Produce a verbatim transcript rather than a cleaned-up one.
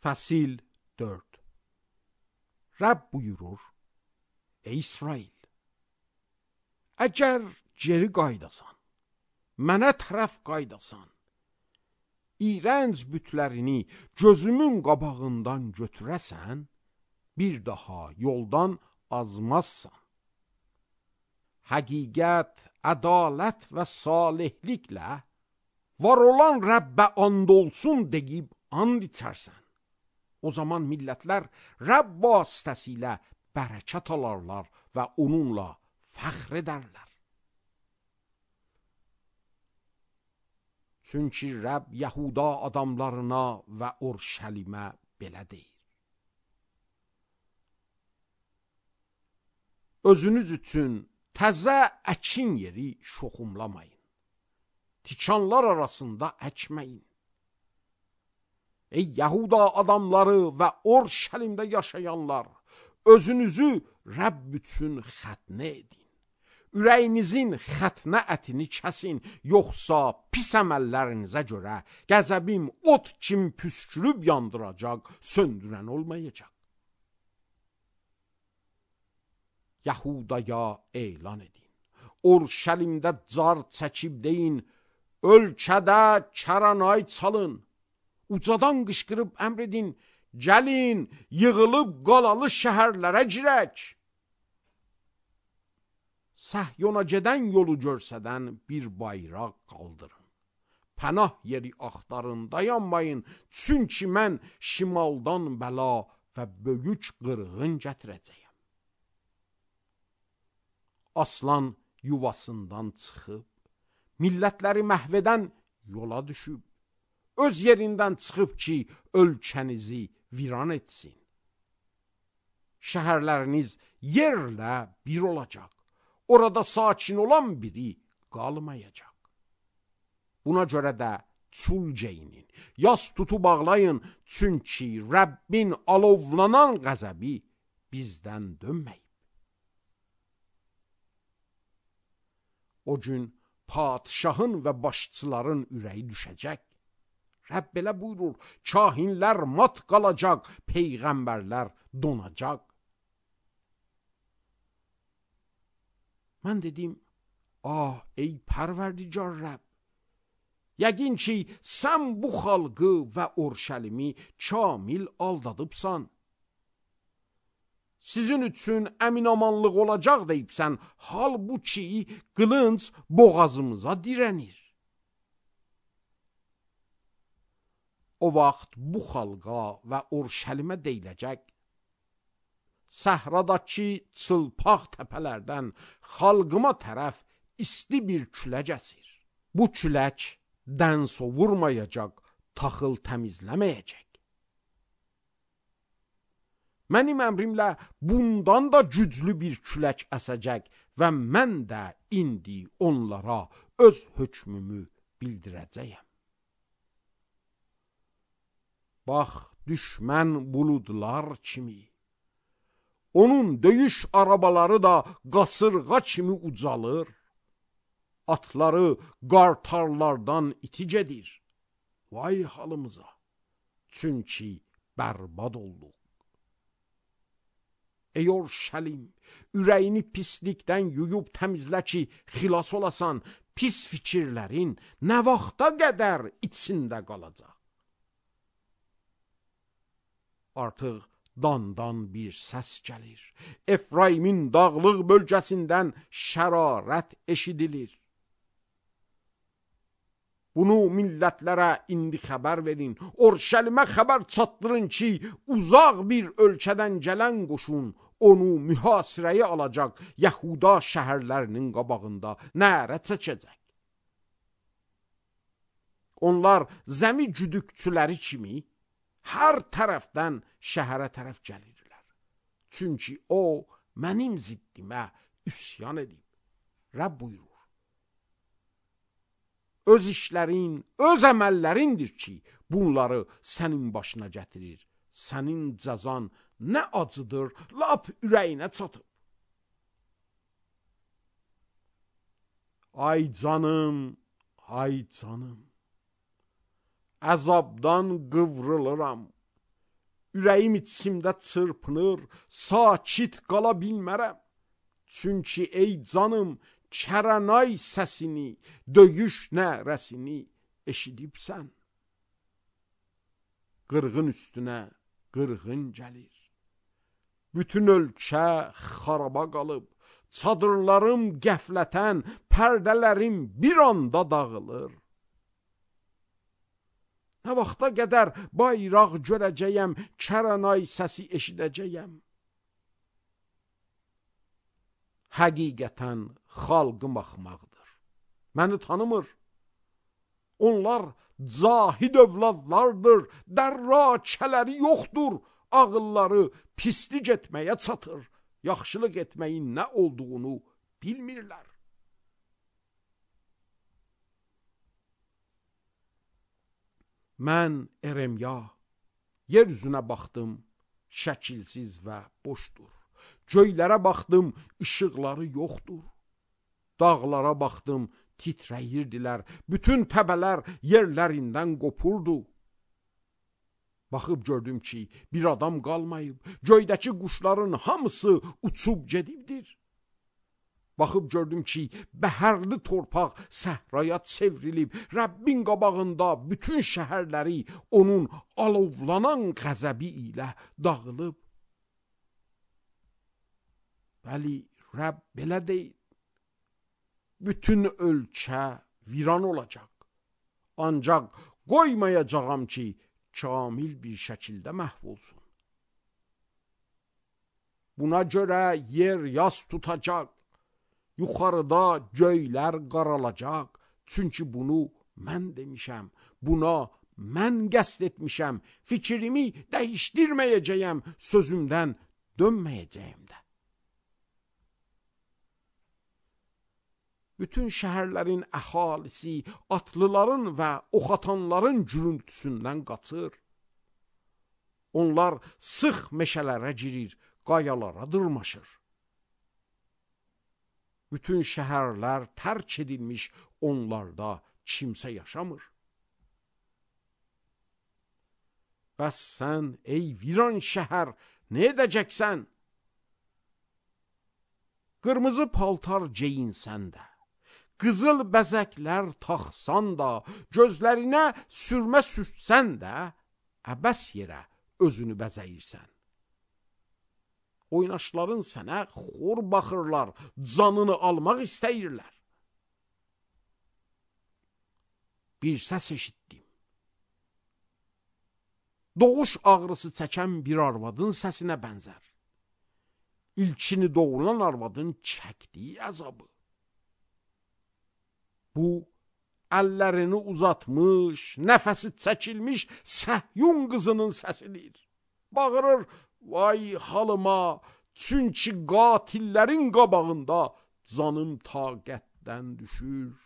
Fəsil dörd. Rəbb buyurur: Ey İsrail, əgər geri qaydasan, mənə tərəf qaydasan, iyrənc bütlərini gözümün qabağından götürəsən, bir daha yoldan azmazsan. Həqiqət, ədalət və salihliklə var olan Rəbbə and olsun deyib and içərsən. O zaman millətlər Rəbb vasitəsilə bərəkət alarlar və onunla fəxr edərlər. Çünki Rəbb Yahuda adamlarına və Urşəlimə belə deyir: Özünüz üçün təzə əkin yeri şoxumlamayın. Tikanlar arasında əkməyin. Ey Yahuda adamları və Urşəlimdə yaşayanlar, özünüzü Rəbb üçün xətnə edin. Ürəyinizin xətnə ətini kəsin, yoxsa pis əməllərinizə görə qəzəbim ot kimi püskürüb yandıracaq, söndürən olmayacaq. Yahudaya elan edin. Urşəlimdə car çəkib deyin, ölkədə kəranay çalın. Ucadan qışqırıb əmr edin, gəlin, yığılıb qalalı şəhərlərə girək. Səhyona gedən yolu görsədən bir bayraq qaldırın. Pənah yeri axtarın, dayanmayın, çünki mən şimaldan bəla və böyük qırğın gətirəcəyəm. Aslan yuvasından çıxıb, millətləri məhv edən yola düşüb, öz yerindən çıxıb ki, ölkənizi viran etsin. Şəhərləriniz yerlə bir olacaq. Orada sakin olan biri qalmayacaq. Buna görə də çul geyinin, yas tutu bağlayın, çünki Rəbbin alovlanan qəzəbi bizdən dönməyib. O gün padişahın və başçıların ürəyi düşəcək. Rəbb belə buyurur: kahinlər mat qalacaq, peyğəmbərlər donacaq. Mən dedim: ah ey pərverdigar Rəbb, yəqin ki sən bu xalqı və Urşəlimi kamil aldadıbsan. Sizin üçün əminamanlıq olacaq deyibsən, halbuki qılınc boğazımıza dirənir. O vaxt bu xalqa və Urşəlimə deyiləcək: səhradakı çılpaq təpələrdən xalqıma tərəf isti bir külək əsir. Bu külək dən sovurmayacaq, taxıl təmizləməyəcək. Mənim əmrimlə bundan da güclü bir külək əsəcək və mən də indi onlara öz hökmümü bildirəcəyəm. Bax, düşmən buludlar kimi, onun döyüş arabaları da qasırğa kimi ucalır, atları qartarlardan iti gedir. Vay halımıza, çünki bərbad olduq. Ey Urşəlim, ürəyini pislikdən yuyub təmizlə ki, xilas olasan. Pis fikirlərin nə vaxta qədər içində qalacaq? Artıq dandan bir səs gəlir. Efraimin dağlıq bölgəsindən şərarət eşidilir. Bunu millətlərə indi xəbər verin. Urşəlimə xəbər çatdırın ki, uzaq bir ölkədən gələn qoşun onu mühasirəyə alacaq, Yahuda şəhərlərinin qabağında nərə çəkəcək. Onlar zəmi güdükçüləri kimi hər tərəfdən şəhərə tərəf gəlirlər. Çünki o, mənim ziddimə üsyan edib. Rəbb buyurur: öz işlərin, öz əməllərindir ki, bunları sənin başına gətirir. Sənin cəzan nə acıdır, lap ürəyinə çatıb. Ay canım, ay canım, əzabdan qıvrılıram. ürəyim içimdə çırpınır, sakit qala bilmərəm. Çünki ey canım, Kəranay səsini, döyüş nərəsini eşidibsən. Qırğın üstünə qırğın gəlir. Bütün ölkə xaraba qalıb, çadırlarım qəflətən, pərdələrim bir anda dağılır. Nə vaxta qədər bayraq görəcəyəm, Kəranay səsi eşidəcəyəm. Həqiqətən xalqım axmaqdır. Məni tanımır. Onlar cahid övladlardır, dərrakələri yoxdur, ağılları pislik etməyə çatır, yaxşılıq etməyin nə olduğunu bilmirlər. Mən Eremya, yer üzünə baxdım, şəkilsiz və boşdur. Göylərə baxdım, işıqları yoxdur. Dağlara baxdım, titrəyirdilər, bütün təbələr yerlərindən qopurdu. Baxıb gördüm ki, bir adam qalmayıb, göydəki quşların hamısı uçub gedibdir. Baxıb gördüm ki, bəhərli torpaq səhraya çevrilib, Rəbbin qabağında bütün şəhərləri onun alovlanan qəzəbi ilə dağılıb. Bəli, Rəbb belə deyil. Bütün ölkə viran olacaq. Ancaq qoymayacağam ki, kamil bir şəkildə məhv olsun. Buna görə yer yas tutacaq, yuxarıda göylər qaralacaq. Çünki bunu mən demişəm, buna mən qəsd etmişəm, fikrimi dəyişdirməyəcəyəm, sözümdən dönməyəcəyəm də. Bütün şəhərlərin əhalisi atlıların və oxatanların gürültüsündən qaçır. Onlar sıx meşələrə girir, qayalara dırmaşır. Bütün şəhərlər tərk edilmiş, onlarda kimsə yaşamır. Bəs sən, ey viran şəhər, nə edəcəksən? Qırmızı paltar geyinsən də, qızıl bəzəklər taxsan da, gözlərinə sürmə sürtsən də, əbəs yerə özünü bəzəyirsən. Oynaşların sənə xor baxırlar, canını almaq istəyirlər. Bir səs eşitdim. Doğuş ağrısı çəkən bir arvadın səsinə bənzər. İlkini doğulan arvadın çəkdiyi əzabı. Bu, əllərini uzatmış, nəfəsi çəkilmiş Səhyun qızının səsidir. Bağırır, vay halıma, çünki qatillərin qabağında canım taqətdən düşür.